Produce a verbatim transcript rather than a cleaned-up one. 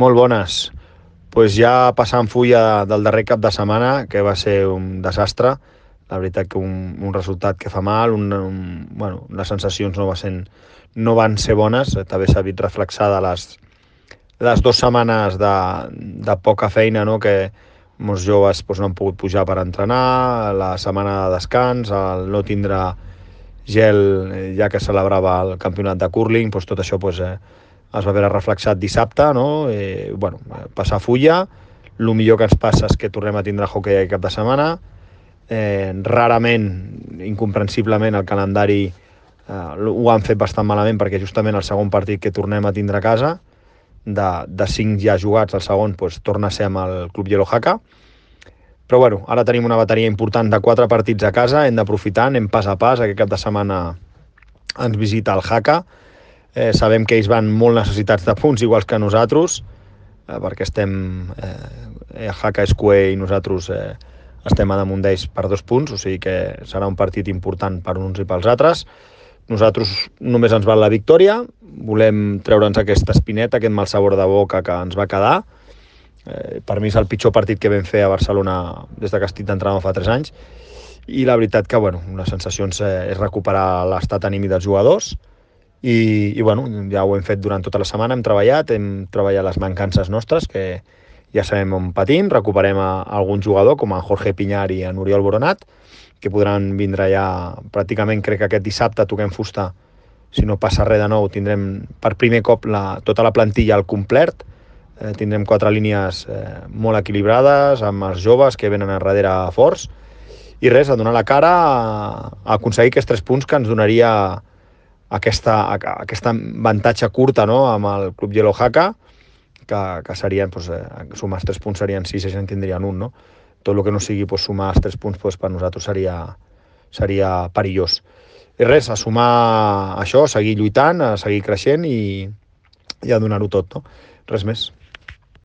Molt bones. Pues ja passant fulla del darrer cap de setmana, que va ser un desastre. La veritat que un, un resultat que fa mal, un, un, bueno, les sensacions no, va ser, no van ser bones. També s'ha vist reflexada les, les dues setmanes de, de poca feina, no? Que molts joves pues, no han pogut pujar per entrenar, la setmana de descans, el no tindre gel ja que celebrava el campionat de curling, pues, tot això pues, eh, es va veure reflexat dissabte, no? Eh, bueno, passar fulla, el millor que ens passa és que tornem a tindre hockey aquest cap de setmana, eh, rarament, incomprensiblement, el calendari eh, ho han fet bastant malament perquè justament el segon partit que tornem a tindre a casa, de, de cinc ja jugats, el segon pues, torna a ser amb el Club Yellow Haka, però bueno, ara tenim una bateria important de quatre partits a casa, hem d'aprofitar, anem pas a pas, aquest cap de setmana ens visita el Haka, eh, sabem que ells van molt necessitats de punts, iguals que nosaltres, eh, perquè estem, eh, Haka és Q E i nosaltres eh, estem a damunt d'ells per dos punts, o sigui que serà un partit important per uns i pels altres. Nosaltres només ens val la victòria, volem treure'ns aquesta espineta, aquest mal sabor de boca que ens va quedar. Eh, per mi és el pitjor partit que vam fer a Barcelona des que estic d'entrenador fa tres anys, i la veritat que bueno, les sensacions eh, és recuperar l'estat anímic dels jugadors, i, i bueno, ja ho hem fet durant tota la setmana, hem treballat, hem treballat les mancances nostres, que ja sabem on patim, recuperem a, a algun jugador com a Jorge Piñar i a Oriol Boronat, que podran vindre ja pràcticament, crec que aquest dissabte toquem fusta, si no passa res de nou, tindrem per primer cop la, tota la plantilla al complet, eh, tindrem quatre línies eh, molt equilibrades, amb els joves que venen a darrere forts, i res, a donar la cara a, a aconseguir aquests tres punts que ens donaria aquesta, aquesta avantatge curta, no?, amb el Club Yellow Haka, que, que serien, doncs, eh, sumar els tres punts serien sis i ja en tindrien un, no? Tot el que no sigui pues, sumar els tres punts pues, per nosaltres seria, seria perillós. I res, a sumar això, a seguir lluitant, a seguir creixent i, i a donar-ho tot, no? Res més.